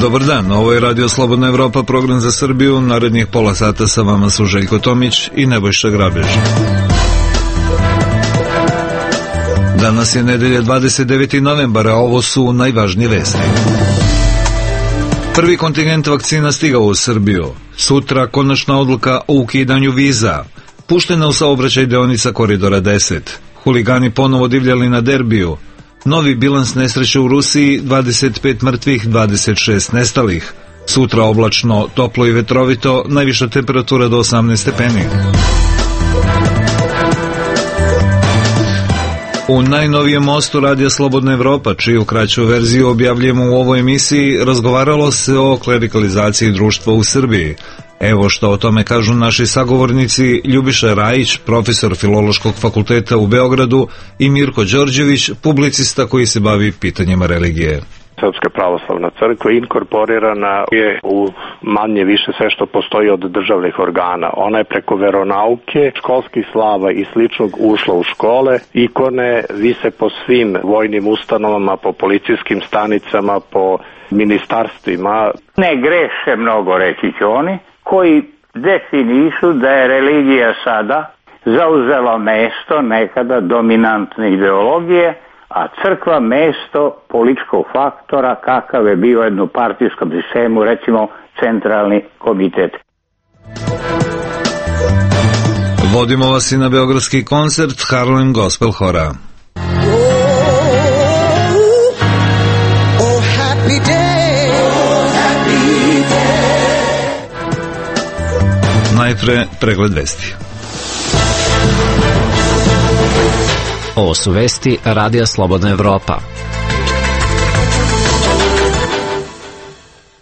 Dobar dan, ovo je Radio Slobodna Evropa, program za Srbiju. Narednih pola sata sa vama su Željko Tomić i Nebojša Grabež. Danas je nedelja 29. novembara, a ovo su najvažnije vesti. Prvi kontingent vakcina stigao u Srbiju. Sutra konačna odluka o ukidanju viza. Puštena u saobraćaj deonica Koridora 10. Huligani ponovo divljali na derbiju. Novi bilans nesreće u Rusiji, 25 mrtvih, 26 nestalih. Sutra oblačno, toplo i vetrovito, najviša temperatura do 18 stepeni. U najnovijem mostu Radija Slobodna Evropa, čiju kraću verziju objavljujemo u ovoj emisiji, razgovaralo se o klerikalizaciji društva u Srbiji. Evo što o tome kažu naši sagovornici Ljubiša Rajić, profesor Filološkog fakulteta u Beogradu, i Mirko Đorđević, publicista koji se bavi pitanjima religije. Srpska pravoslavna crkva inkorporirana je u manje više sve što postoji od državnih organa. Ona je preko veronauke, školskih slava i sličnog ušla u škole. Ikone vise po svim vojnim ustanovama, po policijskim stanicama, po ministarstvima. Ne greše mnogo, reći će oni, koji definišu da je religija sada zauzela mesto nekada dominantne ideologije, a crkva mesto političkog faktora kakav je bio u jednopartijskom sistemu, recimo centralni komitet. Vodimo vas i na beogradski koncert Harlem Gospel Hora. Najpre pregled vesti. Ovo su vesti Radija Slobodna Evropa.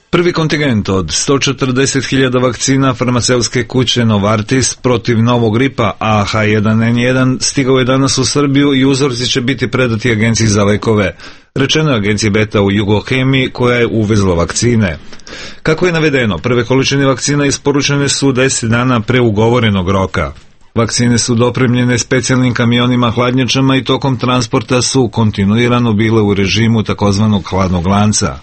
Prvi kontingent od 140.000 vakcina farmaceutske kuće Novartis protiv novog gripa AH1N1 stigao je danas u Srbiju i uzorci će biti predati Agenciji za lekove. Rečeno je Agenciji Beta u Jugohemiji koja je uvezla vakcine. Kako je navedeno, prve količine vakcina isporučene su 10 dana pre ugovorenog roka. Vakcine su dopremljene specijalnim kamionima hladnjačama i tokom transporta su kontinuirano bile u režimu takozvanog hladnog lanca.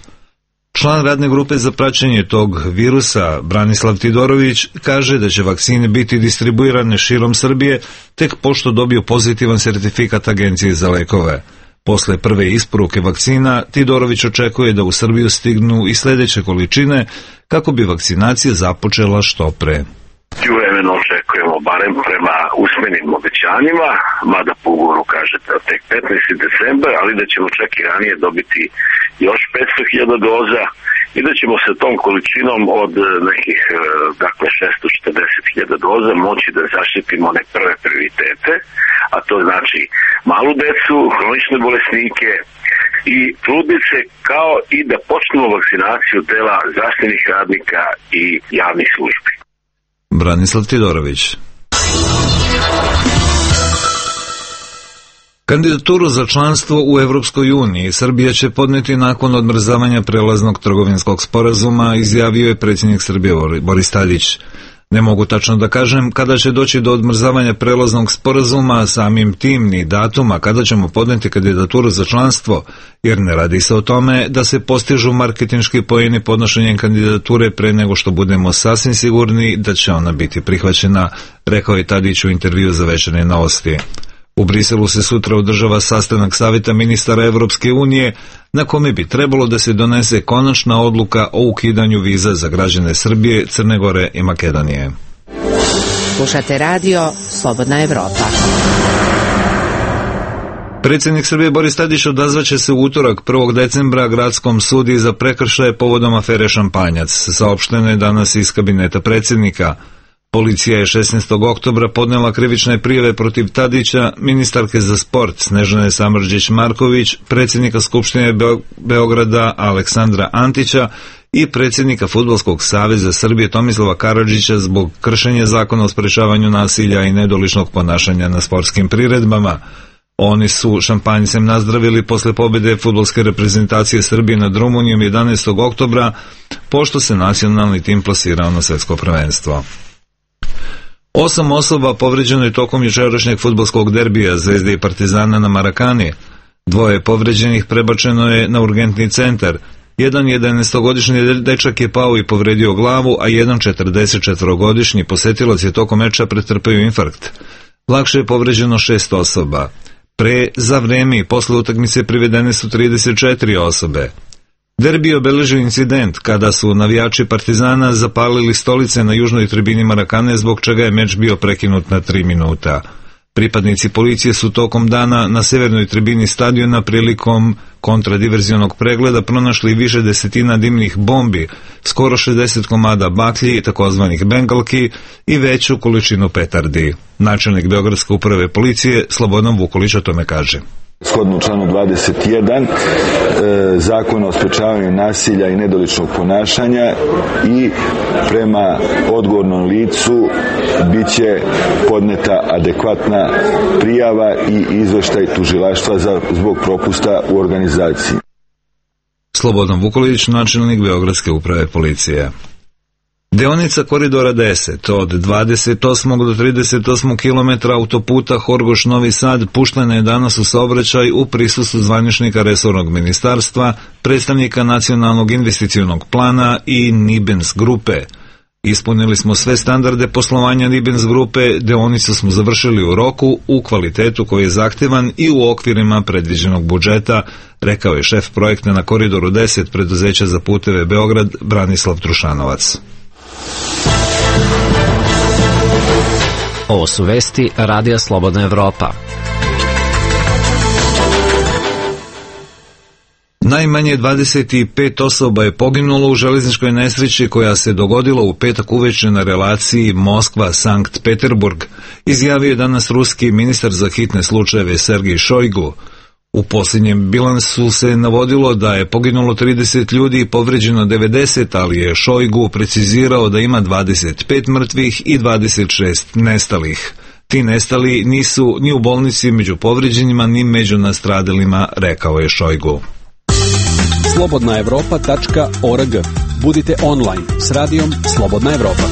Član radne grupe za praćenje tog virusa, Branislav Tidorović, kaže da će vakcine biti distribuirane širom Srbije tek pošto dobiju pozitivan sertifikat Agencije za lekove. Posle prve isporuke vakcina, Tidorović očekuje da u Srbiju stignu i sledeće količine kako bi vakcinacija započela što pre. Vremeno očekujemo barem prema usmenim obećanjima, mada po ugovoru kažete tek 15. decembar, ali da ćemo čak i ranije dobiti još 500.000 doza i da ćemo sa tom količinom od nekih 640.000 doza moći da zaštitimo one prve prioritete, a to znači malu decu, hronične bolesnike i trudnice, kao i da počnemo vakcinaciju dela zdravstvenih radnika i javnih službi. Branislav Tidorović. Kandidaturu za članstvo u Evropskoj uniji Srbija će podneti nakon odmrzavanja prelaznog trgovinskog sporazuma, izjavio je predsjednik Srbije Boris Tadić. Ne mogu tačno da kažem kada će doći do odmrzavanja prelaznog sporazuma, samim tim ni datuma kada ćemo podneti kandidaturu za članstvo, jer ne radi se o tome da se postižu marketinški poeni podnošenjem kandidature pre nego što budemo sasvim sigurni da će ona biti prihvaćena, rekao je Tadić u intervju za Večernje novosti. U Briselu se sutra održava sastanak Saveta ministara Evropske unije na kome bi trebalo da se donese konačna odluka o ukidanju viza za građane Srbije, Crne Gore i Makedonije. Slušate radio Slobodna Evropa. Predsjednik Srbije Boris Tadić odazvaće se u utorak 1. decembra gradskom sudi za prekršaje povodom afere Šampanjac, saopšteno je danas iz kabineta predsjednika. Policija je 16. oktobra podnela krivične prijave protiv Tadića, ministarke za sport Snežane Samardžić-Marković, predsjednika Skupštine Beograda Aleksandra Antića i predsjednika Fudbalskog saveza Srbije Tomislava Karadžića zbog kršenja zakona o sprečavanju nasilja i nedoličnog ponašanja na sportskim priredbama. Oni su šampanjcem nazdravili posle pobjede fudbalske reprezentacije Srbije nad Rumunijom 11. oktobra, pošto se nacionalni tim plasirao na svetsko prvenstvo. 8 osoba povređeno je tokom jučerašnjeg fudbalskog derbija Zvezde i Partizana na Marakani. 2 povređenih prebačeno je na urgentni centar. Jedan 11-godišnji dečak je pao i povredio glavu, a jedan 44-godišnji posetilac je tokom meča pretrpeo infarkt. Lakše je povređeno 6 osoba. Pre, za vreme i posle utakmice privedene su 34 osobe. Derbi je obeležio incident kada su navijači Partizana zapalili stolice na južnoj tribini Marakane, zbog čega je meč bio prekinut na 3 minuta. Pripadnici policije su tokom dana na severnoj tribini stadiona prilikom kontradiverzionog pregleda pronašli više desetina dimnih bombi, skoro 60 komada baklji, takozvanih bengalki, i veću količinu petardi. Načelnik Beogradske uprave policije Slobodan Vukolić o tome kaže. Shodno članu 21 Zakona o sprečavanju nasilja i nedoličnog ponašanja i prema odgovornom licu biće podneta adekvatna prijava i izveštaj tužilaštva zbog propusta u organizaciji. Slobodan Vukolić, načelnik Beogradske uprave policije. Deonica koridora 10 od 28. do 38. km autoputa Horgoš-Novi Sad puštena je danas u saobraćaj u prisustvu zvaničnika resornog ministarstva, predstavnika Nacionalnog investicionog plana i Nibens grupe. Ispunili smo sve standarde poslovanja Nibens grupe, deonicu smo završili u roku, u kvalitetu koji je zahtevan i u okvirima predviđenog budžeta, rekao je šef projekta na koridoru 10 preduzeća za puteve Beograd Branislav Trušanovac. Ovo su vesti Radija Slobodna Evropa. Najmanje 25 osoba je poginulo u železničkoj nesreći koja se dogodila u petak uveče na relaciji Moskva-Sankt Peterburg, izjavio je danas ruski ministar za hitne slučajeve Sergej Šojgu. U posljednjem bilansu se navodilo da je poginulo 30 ljudi i povređeno 90, ali je Šojgu precizirao da ima 25 mrtvih i 26 nestalih. Ti nestali nisu ni u bolnici među povređenima, ni među nastradalima, rekao je Šojgu. Slobodnaevropa.org. Budite online s radijom Slobodna Evropa.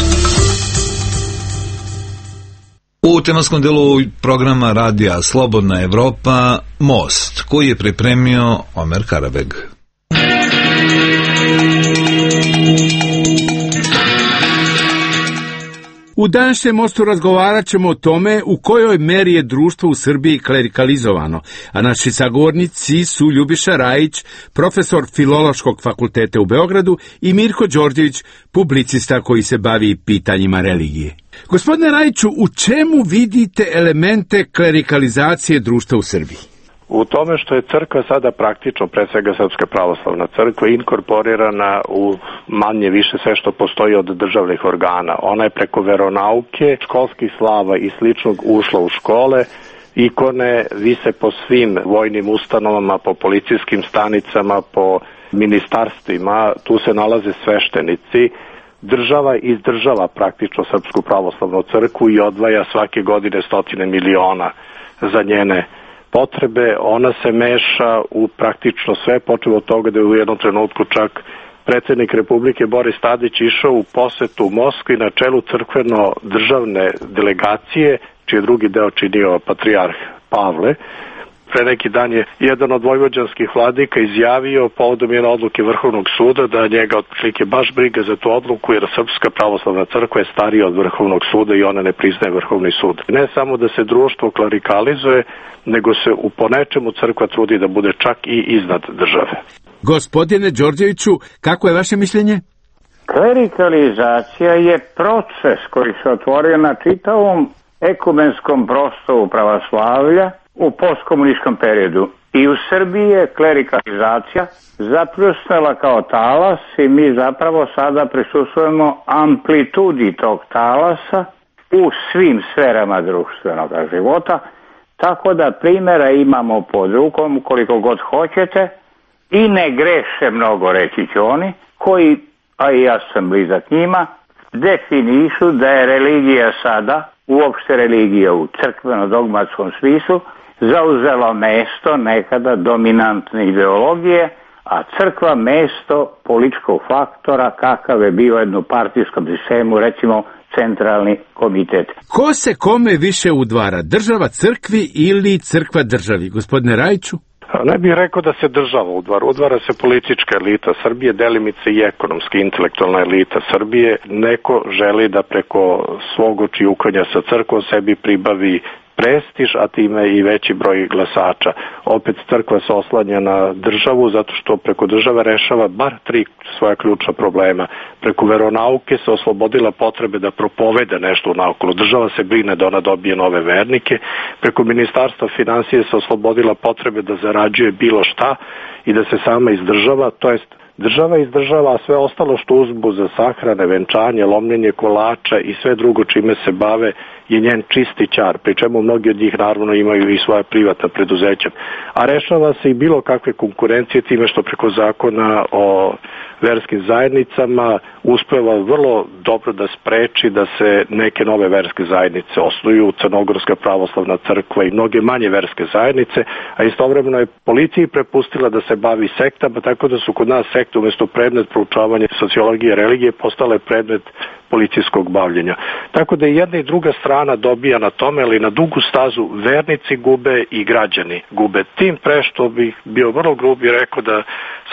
U tematskom delu programa Radija Slobodna Evropa Most, koji je pripremio Omer Karabeg. U današnjem Mostu razgovarat ćemo o tome u kojoj meri je društvo u Srbiji klerikalizovano, a naši sagovornici su Ljubiša Rajić, profesor Filološkog fakulteta u Beogradu, i Mirko Đorđević, publicista koji se bavi pitanjima religije. Gospodine Rajiću, u čemu vidite elemente klerikalizacije društva u Srbiji? U tome što je crkva sada praktično, pre svega Srpska pravoslavna crkva, inkorporirana u manje više sve što postoji od državnih organa. Ona je preko veronauke, školskih slava i sličnog ušla u škole, ikone vise po svim vojnim ustanovama, po policijskim stanicama, po ministarstvima, tu se nalaze sveštenici. Država izdržava praktično Srpsku pravoslavnu crkvu i odvaja svake godine 100 miliona za njene potrebe. Ona se meša u praktično sve, počeo od toga da je u jednom trenutku čak predsjednik Republike Boris Tadić išao u posetu u Moskvi na čelu crkveno-državne delegacije, čiji drugi deo činio patrijarh Pavle. Pre neki dan je jedan od vojvođanskih vladika izjavio povodom jedne odluke Vrhovnog suda da njega otprilike baš briga za tu odluku, jer Srpska pravoslavna crkva je starija od Vrhovnog suda i ona ne priznaje Vrhovni sud. Ne samo da se društvo klerikalizuje, nego se u ponečemu crkva trudi da bude čak i iznad države. Gospodine Đorđeviću, kako je vaše mišljenje? Klerikalizacija je proces koji se otvorio na čitavom ekumenskom prostoru pravoslavlja u postkomunističkom periodu. I u Srbiji je klerikalizacija zapljusnula kao talas i mi zapravo sada prisustvujemo amplitudi tog talasa u svim sferama društvenog života, tako da primjera imamo pod rukom koliko god hoćete i ne greše mnogo, reći će oni, koji, a i ja sam blizak njima, definišu da je religija sada, uopšte religija u crkveno-dogmatskom smislu, zauzelo mesto nekada dominantne ideologije, a crkva mesto političkog faktora kakav je bio u jednom partijskom sistemu, recimo centralni komitet. Ko se kome više udvara, država crkvi ili crkva državi, gospodine Rajiću? Ne bih rekao da se država udvara. Udvara se politička elita Srbije, delimice i ekonomska, intelektualna elita Srbije. Neko želi da preko svog očijukanja sa crkvom sebi pribavi prestiž, a time i veći broj glasača. Opet crkva se oslanja na državu zato što preko države rešava bar 3 svoja ključna problema. Preko veronauke se oslobodila potrebe da propoveda nešto u naokolo. Država se brine da ona dobije nove vernike. Preko ministarstva finansije se oslobodila potrebe da zarađuje bilo šta i da se sama izdržava, to jest država izdržava, a sve ostalo što uzbu za sahrane, venčanje, lomljenje kolača i sve drugo čime se bave je njen čisti ćar, pri čemu mnogi od njih naravno imaju i svoja privatna preduzeća. A rešava se i bilo kakve konkurencije time što preko zakona o verskim zajednicama uspeva vrlo dobro da spreči da se neke nove verske zajednice osnuju, Crnogorska pravoslavna crkva i mnoge manje verske zajednice, a istovremeno je policiji prepustila da se bavi sektama, tako da su kod nas sekte umjesto predmet proučavanja sociologije religije postale predmet policijskog bavljenja. Tako da i jedna i druga strana dobija na tome, ali na dugu stazu vernici gube i građani gube. Tim pre što bih bio vrlo grub i rekao da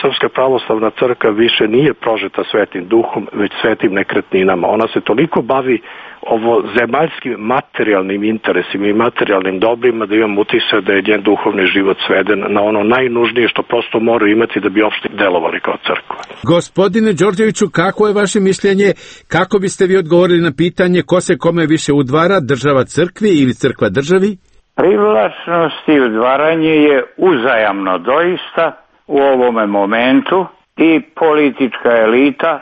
Srpska pravoslavna crkva više nije prožeta svetim duhom, već svetim nekretninama. Ona se toliko bavi ovo zemaljskim materijalnim interesima i materijalnim dobrima da imam utisak da je njen duhovni život sveden na ono najnužnije što prosto moraju imati da bi uopšte delovali kao crkva. Gospodine Đorđeviću, kako je vaše mišljenje, kako biste vi odgovorili na pitanje ko se kome više udvara, država crkvi ili crkva državi? Privlačnost i udvaranje je uzajamno doista u ovome momentu i politička elita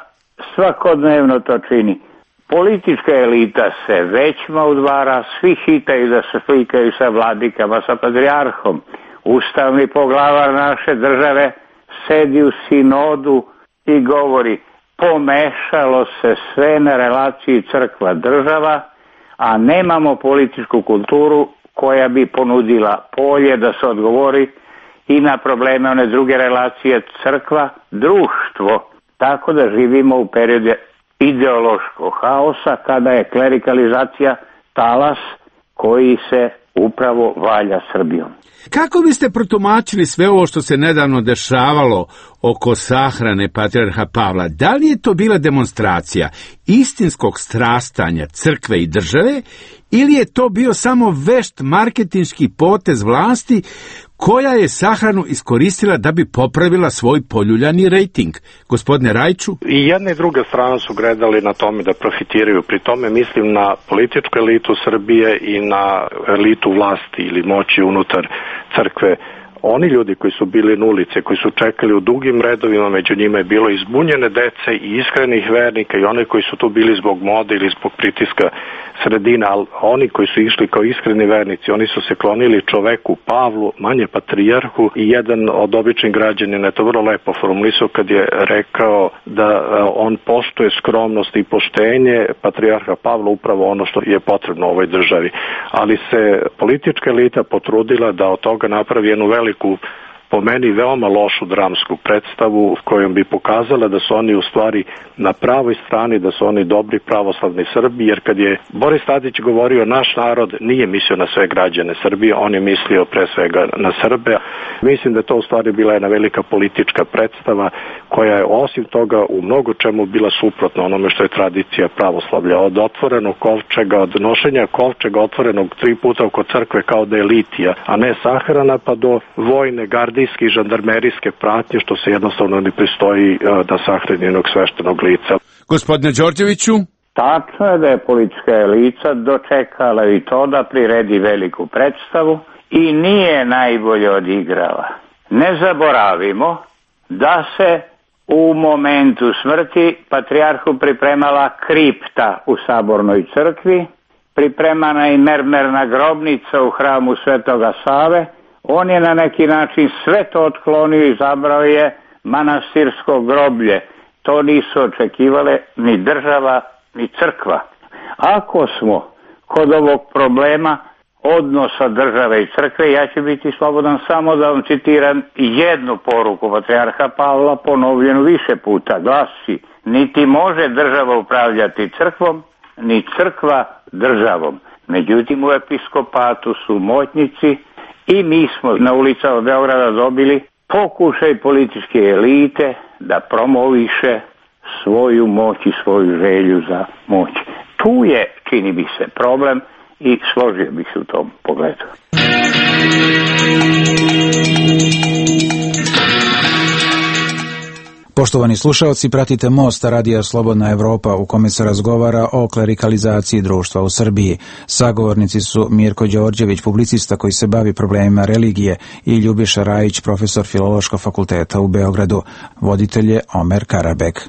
svakodnevno to čini. Politička elita se većma udvara, svi hitaju da se slikaju sa vladikama, sa patrijarhom. Ustavni poglavar naše države sedi u sinodu i govori pomešalo se sve na relaciji crkva-država, a nemamo političku kulturu koja bi ponudila polje da se odgovori i na probleme one druge relacije crkva-društvo. Tako da živimo u periodu ideološkog haosa kada je klerikalizacija talas koji se upravo valja Srbijom. Kako biste protumačili sve ovo što se nedavno dešavalo oko sahrane patrijarha Pavla? Da li je to bila demonstracija istinskog strastanja crkve i države ili je to bio samo vešt marketinški potez vlasti koja je sahranu iskoristila da bi popravila svoj poljuljani rejting? Gospodine Rajiću? I jedna i druga strana su gledali na tome da profitiraju. Pri tome mislim na političku elitu Srbije i na elitu vlasti ili moći unutar crkve. Oni ljudi koji su bili na ulici, koji su čekali u dugim redovima, među njima je bilo izbunjene dece i iskrenih vernika i one koji su tu bili zbog mode ili zbog pritiska sredina, ali oni koji su išli kao iskreni vernici, oni su se klonili čoveku Pavlu, manje patrijarhu, i jedan od običnih građanina je to vrlo lepo formulisao kad je rekao da on poštuje skromnost i poštenje patrijarha Pavla, upravo ono što je potrebno u ovoj državi. Ali se politička elita potrudila da od toga napravi jednu veliku, po meni veoma lošu dramsku predstavu kojom bi pokazala da su oni u stvari na pravoj strani, da su oni dobri pravoslavni Srbi, jer kad je Boris Tadić govorio naš narod, nije mislio na sve građane Srbije, on je mislio pre svega na Srbe. Mislim da je to u stvari bila jedna velika politička predstava koja je osim toga u mnogo čemu bila suprotna onome što je tradicija pravoslavlja. Od otvorenog kovčega, od nošenja kovčega otvorenog 3 puta oko crkve kao da je litija, a ne sahrana, pa do vojne, gardijske i žandarmerijske pratnje, što se jednostavno ne pristoji da sahrani jednog sveštenog lica. Gospodine Đorđeviću? Tačno je da je politička elita dočekala i to da priredi veliku predstavu i nije najbolje odigrala. Ne zaboravimo da se u momentu smrti patrijarhu pripremala kripta u Sabornoj crkvi, pripremana i mermerna grobnica u hramu Svetoga Save. On je na neki način sve to otklonio i zabrao je manastirsko groblje. To nisu očekivale ni država, ni crkva. Ako smo kod ovog problema odnosa države i crkve, ja ću biti slobodan samo da vam citiram jednu poruku patrijarha Pavla, ponovljenu više puta. Glasi: niti može država upravljati crkvom, ni crkva državom. Međutim, u episkopatu su moćnici I mi smo na ulicama Beograda dobili pokušaj političke elite da promoviše svoju moć i svoju želju za moć. Tu je, čini mi se, problem i složio bih se u tom pogledu. Poštovani slušalci, pratite Most Radija Slobodna Evropa u kome se razgovara o klerikalizaciji društva u Srbiji. Sagovornici su Mirko Đorđević, publicista koji se bavi problemima religije, i Ljubiša Rajić, profesor Filološkog fakulteta u Beogradu. Voditelj je Omer Karabek.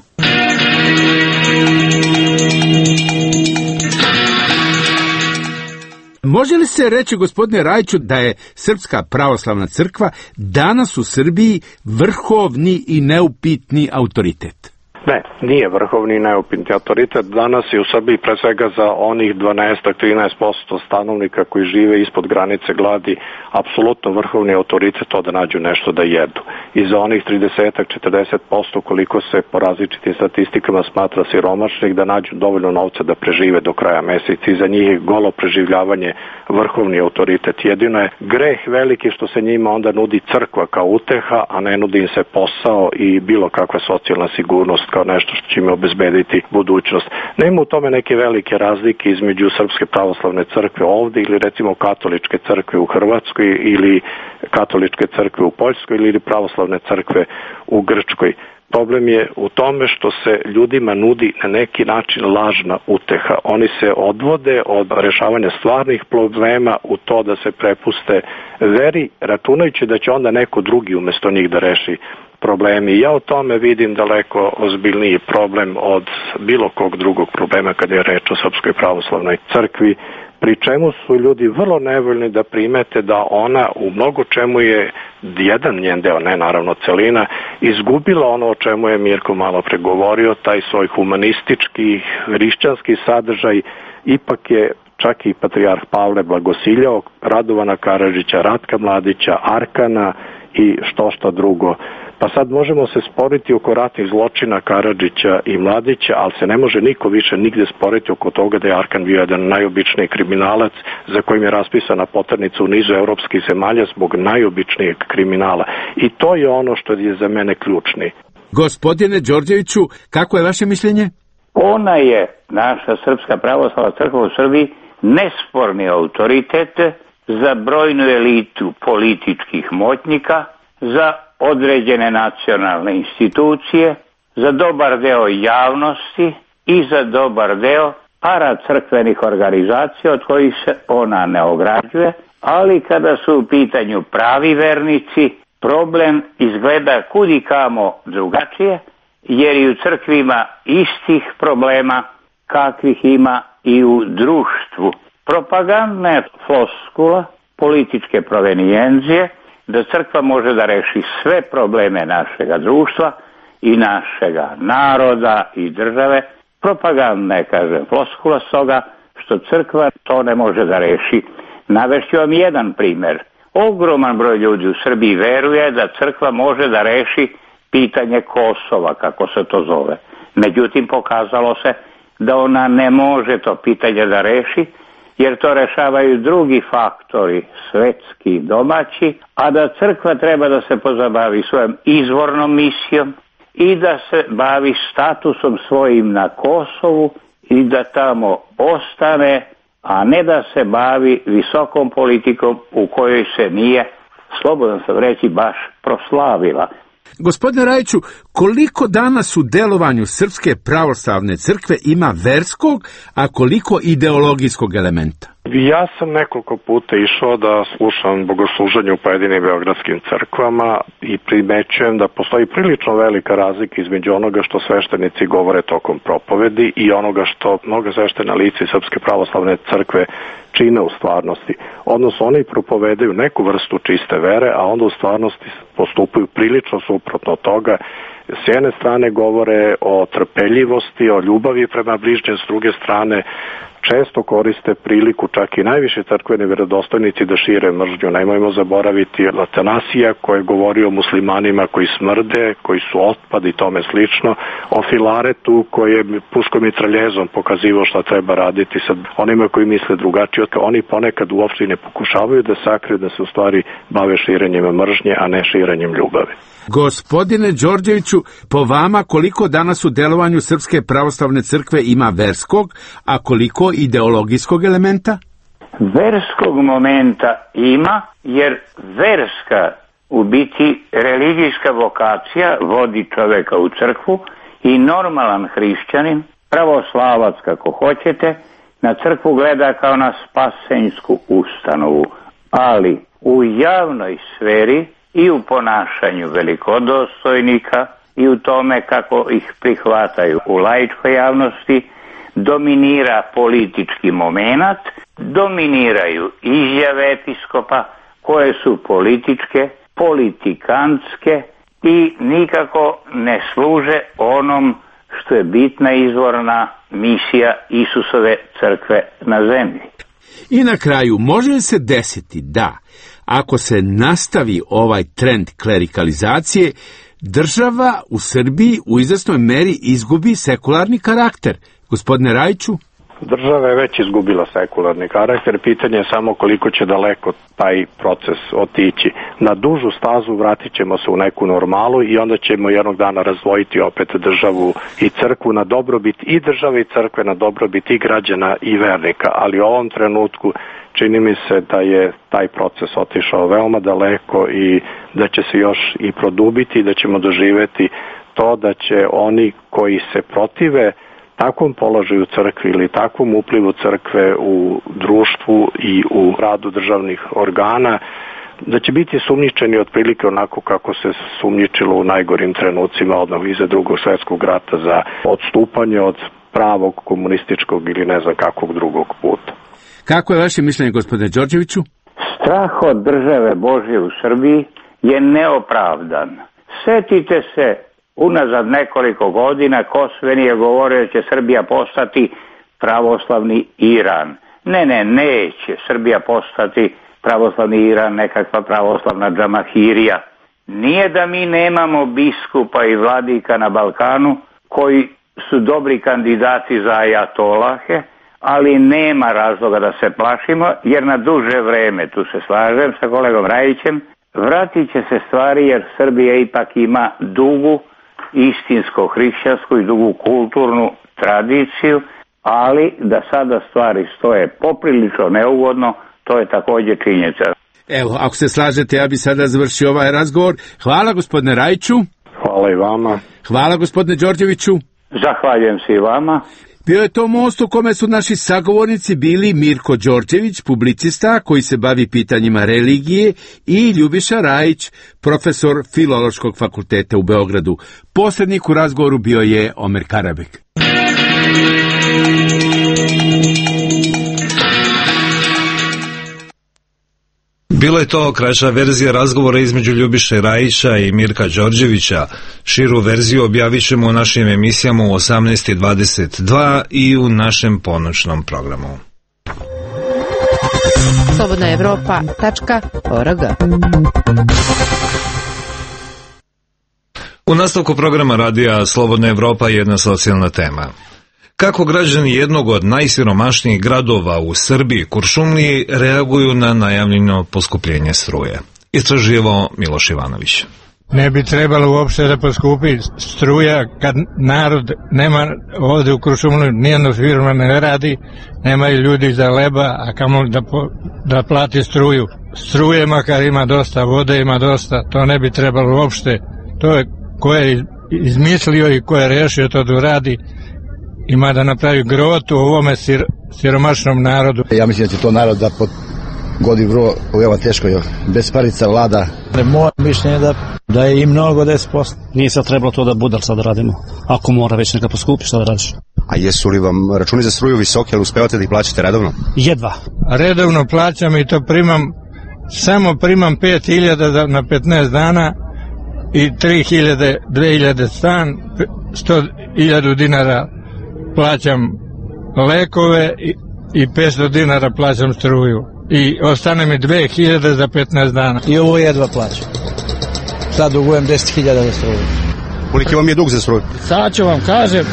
Može li se reći, gospodine Rajiću, da je Srpska pravoslavna crkva danas u Srbiji vrhovni i neupitni autoritet? Ne, nije vrhovni i neupitni autoritet. Danas je u Srbiji pre svega za onih 12-13% stanovnika koji žive ispod granice gladi apsolutno vrhovni autoritet to da nađu nešto da jedu. I za onih 30-40% koliko se po različitim statistikama smatra siromašnih da nađu dovoljno novca da prežive do kraja meseca. I za njih je golo preživljavanje vrhovni autoritet. Jedino je greh veliki što se njima onda nudi crkva kao uteha, a ne nudi im se posao i bilo kakva socijalna sigurnost kao nešto što će im obezbediti budućnost. Nema u tome neke velike razlike između Srpske pravoslavne crkve ovde ili recimo katoličke crkve u Hrvatskoj ili katoličke crkve u Poljskoj ili pravoslavne crkve u Grčkoj. Problem je u tome što se ljudima nudi na neki način lažna uteha. Oni se odvode od rešavanja stvarnih problema u to da se prepuste veri, računajući da će onda neko drugi umesto njih da reši problemi. Ja o tome vidim daleko ozbiljniji problem od bilo kog drugog problema kada je reč o Srpskoj pravoslavnoj crkvi, pri čemu su ljudi vrlo nevoljni da primete da ona u mnogo čemu je jedan njen deo, ne naravno celina, izgubila ono o čemu je Mirko malo pregovorio, taj svoj humanistički, hrišćanski sadržaj. Ipak je čak i patrijarh Pavle blagosiljao Radovana Karadžića, Ratka Mladića, Arkana i što drugo. Pa sad možemo se sporiti oko ratnih zločina Karadžića i Mladića, ali se ne može niko više nigde sporiti oko toga da je Arkan bio jedan najobičniji kriminalac za kojim je raspisana poternica u nizu evropskih zemalja zbog najobičnijeg kriminala. I to je ono što je za mene ključni. Gospodine Đorđeviću, kako je vaše mišljenje? Ona je, naša Srpska pravoslavna crkva u Srbiji, nesporni autoritet za brojnu elitu političkih moćnika, za određene nacionalne institucije, za dobar deo javnosti i za dobar deo paracrkvenih organizacija od kojih se ona ne ograđuje, ali kada su u pitanju pravi vernici, problem izgleda kudikamo drugačije, jer i u crkvi ima istih problema kakvih ima i u društvu. Propagandna je floskula političke provenijencije da crkva može da reši sve probleme našega društva i našega naroda i države. Propagandna je, kažem, floskula stoga što crkva to ne može da reši. Navešću vam jedan primer. Ogroman broj ljudi u Srbiji veruje da crkva može da reši pitanje Kosova, kako se to zove. Međutim, pokazalo se da ona ne može to pitanje da reši, jer to rešavaju drugi faktori, svetski i domaći, a da crkva treba da se pozabavi svojom izvornom misijom i da se bavi statusom svojim na Kosovu i da tamo ostane, a ne da se bavi visokom politikom u kojoj se nije, slobodno sam reći, baš proslavila. Gospodine Rajiću, koliko danas u delovanju Srpske pravoslavne crkve ima verskog, a koliko ideologijskog elementa? Ja sam nekoliko puta išao da slušam bogosluženje u pojedinim beogradskim crkvama i primećujem da postoji prilično velika razlika između onoga što sveštenici govore tokom propovedi i onoga što mnoga sveštena lica iz Srpske pravoslavne crkve čine u stvarnosti. Odnosno, oni propovedaju neku vrstu čiste vere, a onda u stvarnosti postupaju prilično suprotno od toga. S jedne strane govore o trpeljivosti, o ljubavi prema bližnjem, s druge strane često koriste priliku, čak i najviše crkveni vjerodostojnici, da šire mržnju. Nemojmo zaboraviti Atanasija koji je govorio o muslimanima koji smrde, koji su otpad i tome slično, o Filaretu koji je puškom i traljezom pokazivao šta treba raditi sa onima koji misle drugačije. Oni ponekad uopšte ne pokušavaju da sakriju da se u stvari bave širenjem mržnje, a ne širenjem ljubavi. Gospodine Đorđeviću, po vama koliko danas u delovanju Srpske pravoslavne crkve ima verskog, a koliko ideologijskog elementa? Verskog momenta ima, jer verska, u biti religijska vokacija vodi čoveka u crkvu i normalan hrišćanin, pravoslavac kako hoćete, na crkvu gleda kao na spasenjsku ustanovu, ali u javnoj sferi i u ponašanju velikodostojnika i u tome kako ih prihvataju u laičkoj javnosti dominira politički momenat, dominiraju izjave episkopa koje su političke, politikantske i nikako ne služe onom što je bitna izvorna misija Isusove crkve na zemlji. I na kraju, može se desiti da, ako se nastavi ovaj trend klerikalizacije, država u Srbiji u izvesnoj meri izgubi sekularni karakter. Gospodine Rajiću? Država je već izgubila sekularni karakter, pitanje je samo koliko će daleko taj proces otići. Na dužu stazu vratit ćemo se u neku normalu i onda ćemo jednog dana razdvojiti opet državu i crkvu na dobrobit i države i crkve, na dobrobit i građana i vernika, ali u ovom trenutku čini mi se da je taj proces otišao veoma daleko i da će se još i produbiti i da ćemo doživeti to da će oni koji se protive takvom položaju crkve ili takvom uplivu crkve u društvu i u radu državnih organa, da će biti sumnjičeni otprilike onako kako se sumnjičilo u najgorim trenucima odmah iza Drugog svjetskog rata za odstupanje od pravog komunističkog ili ne znam kakvog drugog puta. Kako je vaše mišljenje, gospodine Đorđeviću? Strah od države Božje u Srbiji je neopravdan. Setite se, unazad nekoliko godina Kosveni je govorio da će Srbija postati pravoslavni Iran. Neće Srbija postati pravoslavni Iran, nekakva pravoslavna džamahirija. Nije da mi nemamo biskupa i vladika na Balkanu koji su dobri kandidati za ajatolahe, ali nema razloga da se plašimo, jer na duže vreme, tu se slažem sa kolegom Rajićem, vratit će se stvari jer Srbija ipak ima dugu istinsko hrišćansku i dugu kulturnu tradiciju, ali da sada stvari stoje poprilično neugodno, to je također činjenica. Evo, ako se slažete, ja bi sada završio ovaj razgovor. Hvala gospodine Rajiću. Hvala i vama. Hvala gospodine Đorđeviću. Zahvaljujem se i vama. Bio je to most u kome su naši sagovornici bili Mirko Đorđević, publicista koji se bavi pitanjima religije, i Ljubiša Rajić, profesor Filološkog fakulteta u Beogradu. Posrednik u razgovoru bio je Omer Karabek. Bila je to kraća verzija razgovora između Ljubiše Rajića i Mirka Đorđevića. Širu verziju objavit ćemo u našim emisijama u 18:22 i u našem ponoćnom programu. slobodnaevropa.org. U nastavku programa radija Slobodna Evropa jedna socijalna tema. Kako građani jednog od najsiromašnijih gradova u Srbiji, Kuršumliji, reaguju na najavljeno poskupljenje struje? Istraživao Miloš Ivanović. Ne bi trebalo uopšte da poskupi struja kad narod nema ovde u Kuršumliji, nijedna firma ne radi, nemaju ljudi za leba, a kamo da plati struju. Struje makar ima dosta, vode ima dosta, to ne bi trebalo uopšte. To je ko je izmislio i ko je rešio to da uradi, ima da napravi grotu u ovome siromašnom narodu. Ja mislim da će to narod da godi vrlo veoma teško, bez parica vlada. Moje mišljenje je da je i mnogo 10%. Nije sad trebalo to da budal sad radimo. Ako mora već neka poskupi, šta da radiš? A jesu li vam računi za struju visoke, ali uspevate da ih plaćate redovno? Jedva. Redovno plaćam i to samo primam 5.000 na 15 dana i 3.000, 2.000 stan, 100.000 dinara plaćam lekove i 500 dinara plaćam struju. I ostane mi 2000 za 15 dana. I ovo jedva plaćam. Sad dugujem 10.000 za struju. Koliki vam je dug za struju? Sad ću vam kažem,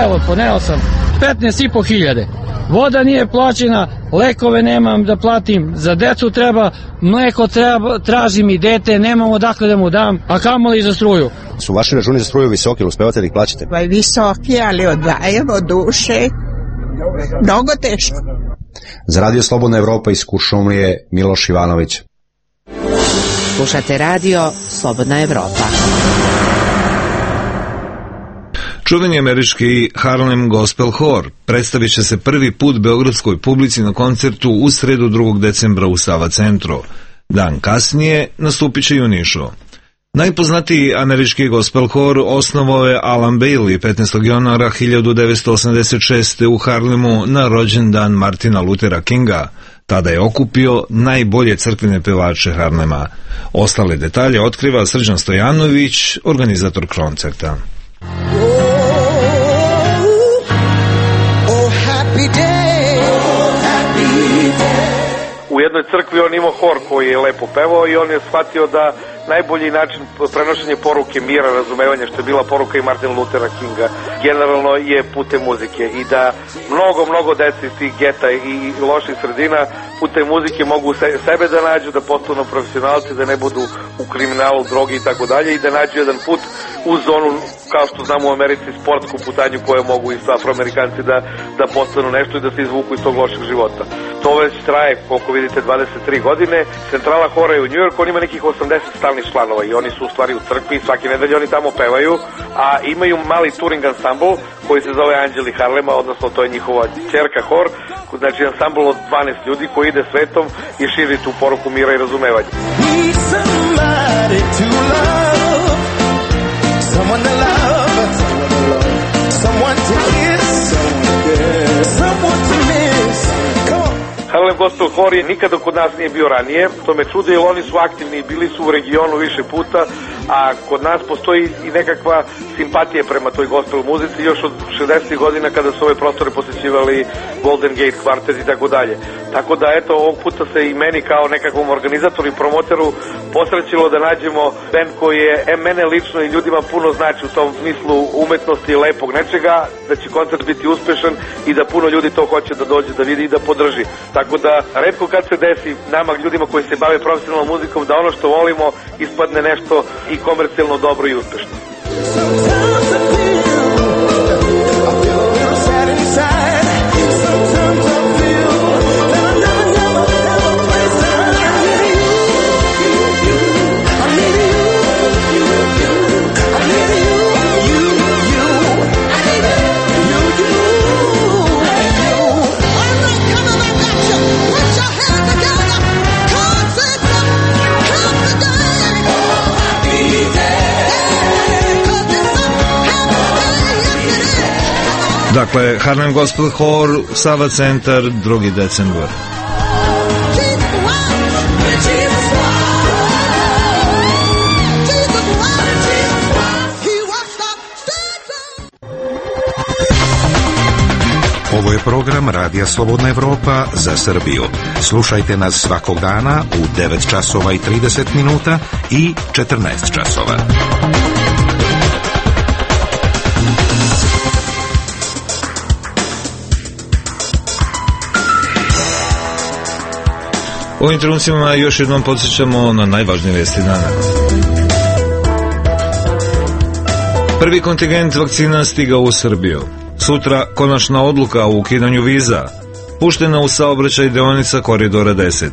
evo poneo sam 15.500. Voda nije plaćena, lekove nemam da platim, za decu treba, mleko treba, tražim i dete, nemam odakle da mu dam, a kamoli za struju. Su vaši računi za struju visoki, ili uspevate da ih plaćate? Pa visoki, ali odvajamo duše. Mnogo teško. Za Radio Slobodna Evropa iz Kuršumlije, Miloš Ivanović. Slušate radio Slobodna Evropa. Čuveni američki Harlem Gospel Hor predstavit će se prvi put beogradskoj publici na koncertu u sredu 2. decembra u Sava centru. Dan kasnije nastupit će i u Nišu. Najpoznatiji američki gospel hor osnovao je Alan Bailey 15. januara 1986. u Harlemu na rođendan Martina Luthera Kinga. Tada je okupio najbolje crkvene pevače Harlema. Ostale detalje otkriva Srđan Stojanović, organizator koncerta. U jednoj crkvi on imao hor koji je lepo pevao i on je shvatio da najbolji način prenošenja poruke mira, razumevanja, što je bila poruka i Martin Luthera Kinga, generalno je putem muzike i da mnogo dece iz tih geta i loših sredina putem muzike mogu sebe da nađu, da postanu profesionalci, da ne budu u kriminalu, drogi i tako dalje i da nađu jedan put u zonu, kao što znamo u Americi, sportsku putanju koju mogu i afroamerikanci da postanu nešto i da se izvuku iz tog lošeg života. To već traje, koliko vidite, 23 godine. Centrala hora je u New York, on ima nekih 80 stalnih članova i oni su u stvari u crkvi i svake nedelje oni tamo pevaju, a imaju mali touring ansambl koji se zove Anđeli Harlema, odnosno to je njihova ćerka hor, znači ansambl od 12 ljudi koji ide svetom i širi tu poruku mira i razumevanja. Someone to love, someone to kiss, someone to miss. Harlem Gospel Hor je nikada kod nas nije bio ranije, to me čudi jer oni su aktivni i bili su u regionu više puta, a kod nas postoji i nekakva simpatija prema toj gospel muzici još od 60. godina kada su ove prostore posjećivali Golden Gate Quartet i tako dalje. Tako da eto, ovog puta se i meni kao nekakvom organizatoru i promoteru posrećilo da nađemo band koji je mene lično i ljudima puno znači u tom smislu umetnosti i lepog nečega, da će koncert biti uspešan i da puno ljudi to hoće da dođe da vidi i da podrži. Tako da retko kad se desi nama ljudima koji se bave profesionalnom muzikom da ono što volimo ispadne nešto i komercijalno dobro i uspešno. Dakle, Harlem Gospel Hor, Sava centar, 2. decembar. Ovo je program Radija Slobodna Evropa za Srbiju. Slušajte nas svakog dana u 9 časova i 30 minuta i 14 časova. U ovim trenucima još jednom podsjećamo na najvažnije vesti dana. Prvi kontingent vakcina stigao u Srbiju. Sutra konačna odluka o ukidanju viza. Puštena u saobraćaj deonica Koridora 10.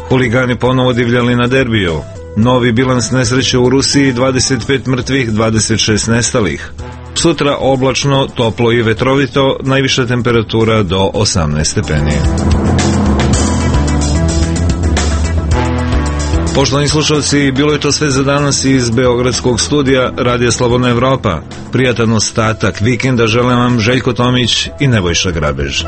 Huligani ponovo divljali na derbiju. Novi bilans nesreće u Rusiji, 25 mrtvih, 26 nestalih. Sutra oblačno, toplo i vetrovito, najviša temperatura do 18 stepeni. Poštovani slušalci, bilo je to sve za danas iz Beogradskog studija Radija Slobodna Evropa. Prijatan ostatak vikenda želim vam Željko Tomić i Nebojša Grabež.